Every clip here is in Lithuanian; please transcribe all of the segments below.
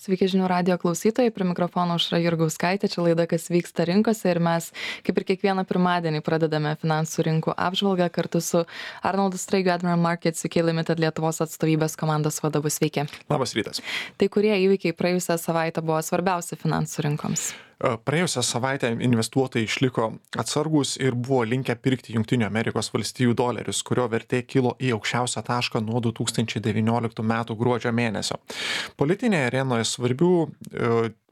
Sveiki žinių radijo klausytojai, prie mikrofono Aušra Jurgauskaitė, čia laida Kas vyksta rinkose ir mes, kaip ir kiekvieną pirmadienį, pradedame finansų rinkų apžvalgą kartu su Arnoldu Straigiu, Admiral Markets UK Limited Lietuvos atstovybės komandos vadovu. Sveiki. Labas rytas. Tai kurie įvykiai praėjusią savaitę buvo svarbiausi finansų rinkoms? Praėjusią savaitę investuotojai išliko atsargūs ir buvo linkę pirkti Jungtinių Amerikos valstijų dolerius, kurio vertė kilo į aukščiausią tašką nuo 2019 metų gruodžio mėnesio. Politinėje arenoje svarbių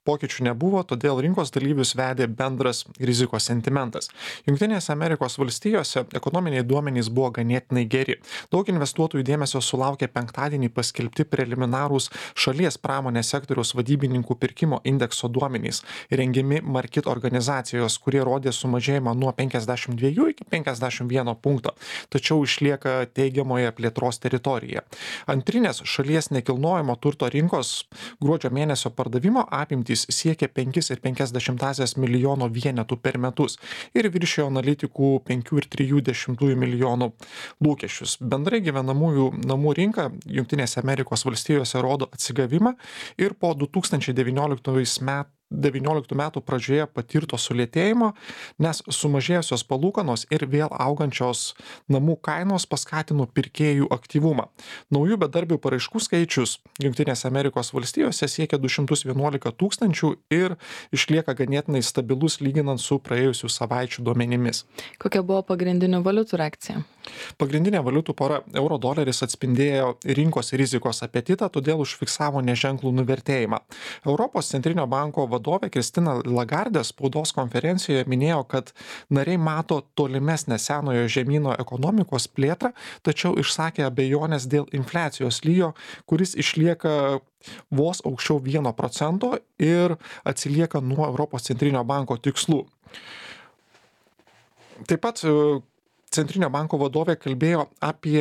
pokyčių nebuvo, todėl rinkos dalyvius vedė bendras rizikos sentimentas. Jungtinėse Amerikos valstijose ekonominiai duomenys buvo ganėtinai geri. Daug investuotojų dėmesio sulaukė penktadienį paskelbti preliminarūs šalies pramonės sektoriaus vadybininkų pirkimo indekso duomenys, rengiami Markit organizacijos, kurie rodė sumažėjimą nuo 52 iki 51 punkto, tačiau išlieka teigiamoje plėtros teritorijoje. Antrinės šalies nekilnojamo turto rinkos gruodžio mėnesio pardavimo apimtys siekia 5,5 milijono vienetų per metus ir viršijo analitikų 5,3 milijonų lūkesčius. Bendrai gyvenamųjų namų rinka Jungtinėse Amerikos valstijose rodo atsigavimą ir po 2019 metų pradžioje patirto sulėtėjimo, nes sumažėjusios palūkanos ir vėl augančios namų kainos paskatino pirkėjų aktyvumą. Naujų bedarbių paraiškų skaičius Jungtinėse Amerikos valstijose siekia 211 tūkstančių ir išlieka ganėtinai stabilus lyginant su praėjusių savaičių duomenimis. Kokia buvo pagrindinių valiutų reakcija? Pagrindinė valiutų pora euro doleris atspindėjo rinkos rizikos apetitą, todėl užfiksavo neženklų nuvertėjimą. Europos centrinio banko vadovė Kristina Lagardė spaudos konferencijoje minėjo, kad nariai mato tolimesnę senojo žemyno ekonomikos plėtrą, tačiau išsakė abejonės dėl infliacijos lygio, kuris išlieka vos aukščiau 1% ir atsilieka nuo Europos centrinio banko tikslų. Taip pat Centrinio banko vadovė kalbėjo apie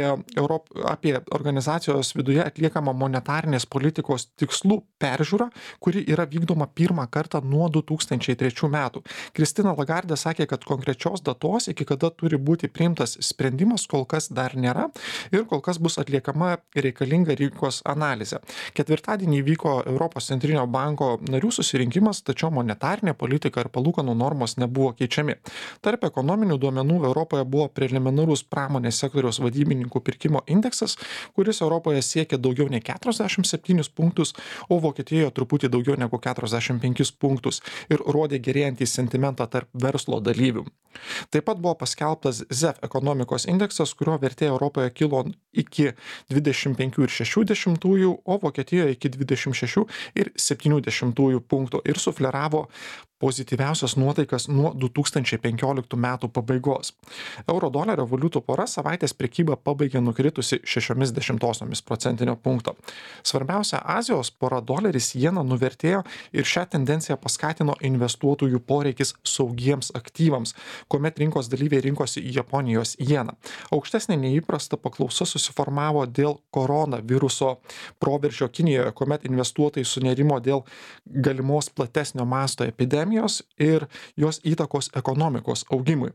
organizacijos viduje atliekamą monetarinės politikos tikslų peržiūrą, kuri yra vykdoma pirmą kartą nuo 2003 metų. Kristina Lagardė sakė, kad konkrečios datos, iki kada turi būti priimtas sprendimas, kol kas dar nėra ir kol kas bus atliekama reikalinga rinkos analizė. Ketvirtadienį vyko Europos centrinio banko narių susirinkimas, tačiau monetarinė politika ir palūkanų normos nebuvo keičiami. Tarp ekonominių duomenų Europoje buvo preliminarus pramonės sektoriaus vadybininkų pirkimo indeksas, kuris Europoje siekia daugiau nei 47 punktus, o Vokietijoje truputį daugiau negu 45 punktus ir rodė gerėjantį sentimentą tarp verslo dalyvių. Taip pat buvo paskelbtas ZEF ekonomikos indeksas, kurio vertė Europoje kilo iki 25,6, o Vokietijoje iki 26,7 punktų ir sufleravo pozityviausias nuotaikas nuo 2015 metų pabaigos. Euro dolerio valiutų pora savaitės prekybą pabaigė nukritusi 0,6 punkto. Svarbiausia Azijos pora doleris jena nuvertėjo ir šią tendenciją paskatino investuotojų poreikis saugiems aktyvams, kuomet rinkos dalyviai rinkosi į Japonijos jeną. Aukštesnė neįprasta paklausa susiformavo dėl koronaviruso proveržio Kinijoje, kuomet investuotojai sunerimo dėl galimos platesnio masto epidemijos ir jos įtakos ekonomikos augimui.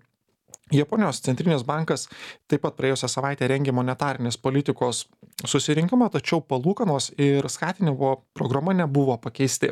Japonijos centrinis bankas taip pat praėjusią savaitę rengė monetarinės politikos susirinkimą, tačiau palūkanos ir skatinimo programa nebuvo pakeisti.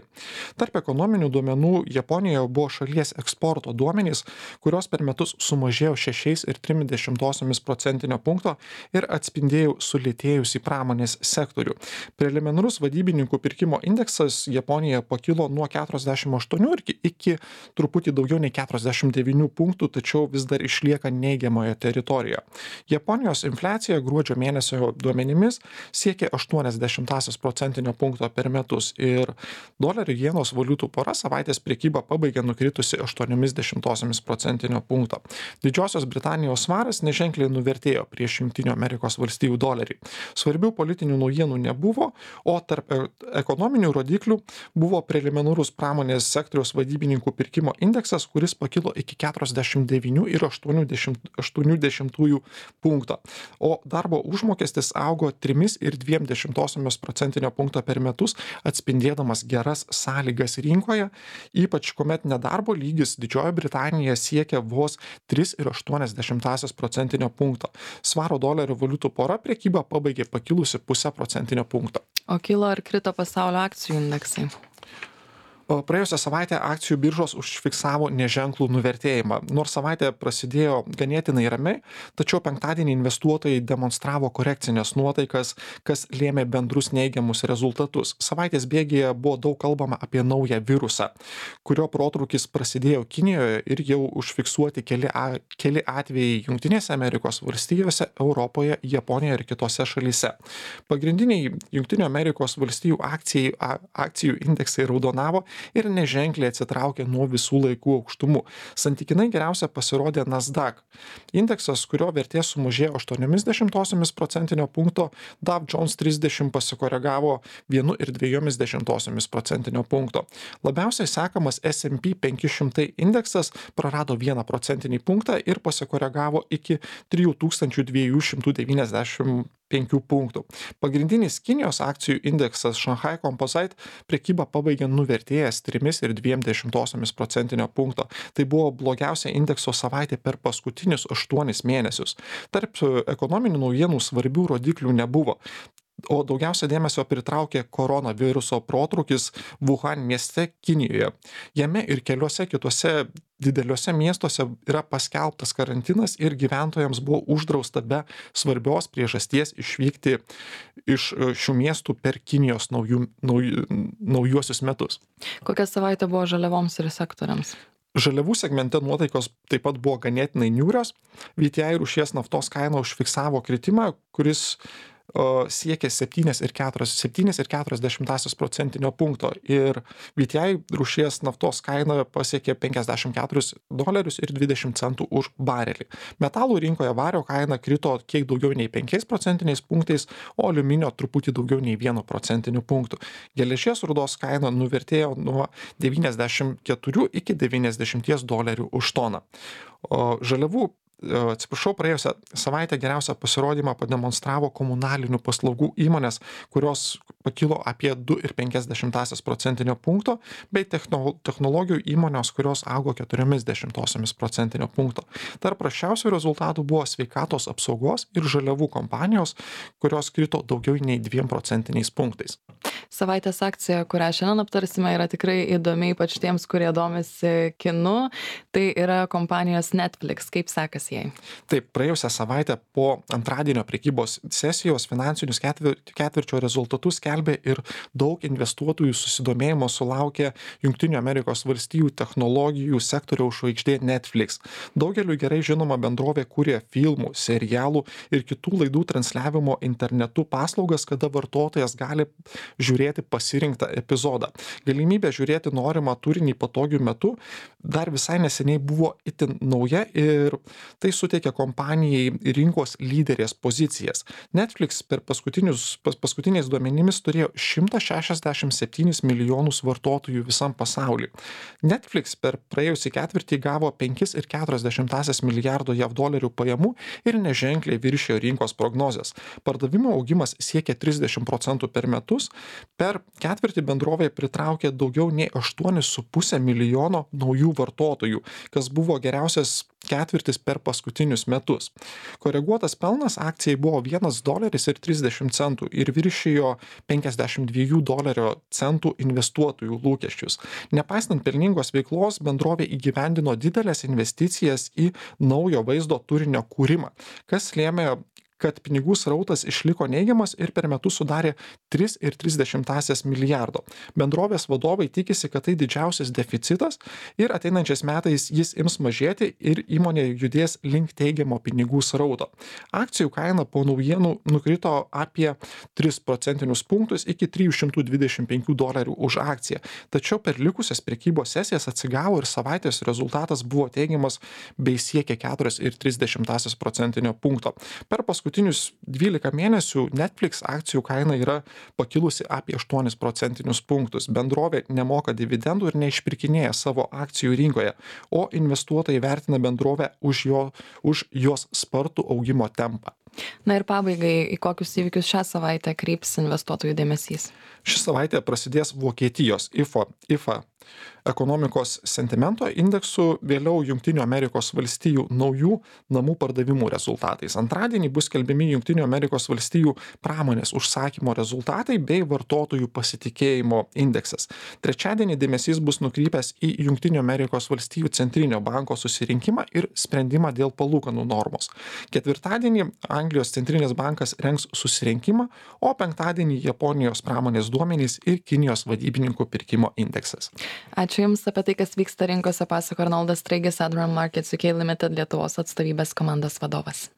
Tarp ekonominių duomenų Japonijoje buvo šalies eksporto duomenys, kurios per metus sumažėjo 6,3 punkto ir atspindėjo sulėtėjusį pramonės sektorių. Preliminarus vadybininkų pirkimo indeksas Japonijoje pakilo nuo 48 iki truputį daugiau nei 49 punktų, tačiau vis dar išlieka neigiamoje teritorijoje. Japonijos infliacija gruodžio mėnesio duomenimis siekia 0,8 punkto per metus ir dolerio jenos valiutų pora savaitės prekybą pabaigė nukritusi 0,8 punkto. Didžiosios Britanijos svaras neženkliai nuvertėjo prieš Jungtinių Amerikos valstijų dolerį. Svarbių politinių naujienų nebuvo, o tarp ekonominių rodiklių buvo preliminarus pramonės sektoriaus vadybininkų pirkimo indeksas, kuris pakilo iki 49,8 punkto, o darbo užmokestis augo 3,2% per metus, atspindėdamas geras sąlygas rinkoje, ypač kuomet nedarbo lygis Didžiojoje Britanijoje siekia vos 3,8%. Svaro dolerio valiutų pora prekybą pabaigė pakilusi 0,5%. O kilo ar krito pasaulio akcijų indeksai? Praėjusią savaitę akcijų biržos užfiksavo neženklų nuvertėjimą. Nors savaitė prasidėjo ganėtinai ramiai, tačiau penktadienį investuotojai demonstravo korekcinės nuotaikas, kas lėmė bendrus neigiamus rezultatus. Savaitės bėgyje buvo daug kalbama apie naują virusą, kurio protrūkis prasidėjo Kinijoje ir jau užfiksuoti keli atvejai Jungtinėse Amerikos valstijose, Europoje, Japonijoje ir kitose šalyse. Pagrindiniai Jungtinių Amerikos valstijų akcijų indeksai raudonavo ir neženkliai atsitraukė nuo visų laikų aukštumų. Santykinai geriausia pasirodė Nasdaq. Indeksas, kurio vertė sumažėjo 0,8% Dow Jones 30 pasikoregavo 1,2% Labiausiai sekamas S&P 500 indeksas prarado 1% ir pasikoregavo iki 3295 punktų. Pagrindinis Kinijos akcijų indeksas Shanghai Composite prekybą pabaigė nuvertėjęs 3,2%. Tai buvo blogiausia indekso savaitė per paskutinius 8 mėnesius. Tarp ekonominių naujienų svarbių rodiklių nebuvo. O daugiausia dėmesio pritraukė koronaviruso protrūkis Wuhan mieste Kinijoje. Jame ir keliuose kitose dideliuose miestuose yra paskelbtas karantinas ir gyventojams buvo uždrausta be svarbios priežasties išvykti iš šių miestų per Kinijos naujuosius metus. Kokia savaitė buvo žaliavoms ir sektoriams? Žaliavų segmente nuotaikos taip pat buvo ganėtinai niūrios. VTI rūšies naftos kaina užfiksavo kritimą, kuris siekia 7,4% ir VTI rūšies naftos kaina pasiekė $54.20 už barelį. Metalų rinkoje vario kaina krito kiek daugiau nei 5%, o aliuminio truputį daugiau nei 1%. Geležies rūdos kaina nuvertėjo nuo 94 iki $90 už toną. Praėjusią savaitę geriausią pasirodymą pademonstravo komunalinių paslaugų įmonės, kurios pakilo apie 2,5%, bei technologijų įmonės, kurios augo 0,4%. Tarp prasčiausių rezultatų buvo sveikatos apsaugos ir žaliavų kompanijos, kurios krito daugiau nei 2%. Savaitės akcija, kurią šiandien aptarsime, yra tikrai įdomi, ypač tiems, kurie domisi kinu. Tai yra kompanijos Netflix. Kaip sekasi jai? Taip, praėjusią savaitę po antradienio prekybos sesijos finansinius ketvirčio rezultatus skelbė ir daug investuotojų susidomėjimo sulaukė Jungtinių Amerikos valstijų technologijų sektoriaus žvaigždė Netflix. Daugeliui gerai žinoma bendrovė kūrė filmų, serialų ir kitų laidų transliavimo internetu paslaugas, kada vartotojas gali žiūrėti pasirinktą epizodą. Galimybė žiūrėti norimą turinį patogiu metu dar visai neseniai buvo itin nauja ir tai suteikia kompanijai rinkos lyderės pozicijas. Netflix per paskutiniais duomenimis turėjo 167 milijonus vartotojų visam pasauliu. Netflix per praėjusį ketvirtį gavo 5,4 milijardo JAV dolerių pajamų ir neženkliai viršijo rinkos prognozes. Pardavimo augimas siekia 30% per metus. Per ketvirtį bendrovė pritraukė daugiau nei 8,5 milijono naujų vartotojų, kas buvo geriausias ketvirtis per paskutinius metus. Koreguotas pelnas akcijai buvo $1,30 ir viršijo $52 investuotojų lūkesčius. Nepaisant pelningos veiklos, bendrovė įgyvendino didelės investicijas į naujo vaizdo turinio kūrimą, kas lėmė, kad pinigų srautas išliko neigiamas ir per metus sudarė 3,3 milijardo. Bendrovės vadovai tikisi, kad tai didžiausias deficitas ir ateinančiais metais jis ims mažėti ir įmonė judės link teigiamo pinigų srauto. Akcijų kaina po naujienų nukrito apie 3% punktus iki $325 už akciją. Tačiau per likusias prekybos sesijas atsigavo ir savaitės rezultatas buvo teigiamas bei siekė 4,3% punkto. Per paskutinius 12 mėnesių Netflix akcijų kaina yra pakilusi apie 8% punktus. Bendrovė nemoka dividendų ir neišpirkinėja savo akcijų rinkoje, o investuotojai vertina bendrovę už jos spartų augimo tempą. Na ir pabaigai, į kokius įvykius šią savaitę kryps investuotojų dėmesys? Ši savaitė prasidės Vokietijos IFA ekonomikos sentimento indeksų, vėliau Junktinių Amerikos valstijų naujų namų pardavimų rezultatais. Antradienį bus skelbiami Junktinių Amerikos valstijų pramonės užsakymo rezultatai bei vartotojų pasitikėjimo indeksas. Trečiadienį dėmesys bus nukrypęs į Junktinių Amerikos valstijų centrinio banko susirinkimą ir sprendimą dėl palūkanų normos. Ketvirtadienį Anglijos centrinis bankas rengs susirinkimą, o penktadienį Japonijos pramonės duomenys ir Kinijos vadybininkų pirkimo indeksas. Ačiū Jums. Apie tai, kas vyksta rinkose, pasako Arnoldas Straigis, Admiral Markets UK Limited Lietuvos atstovybės komandos vadovas.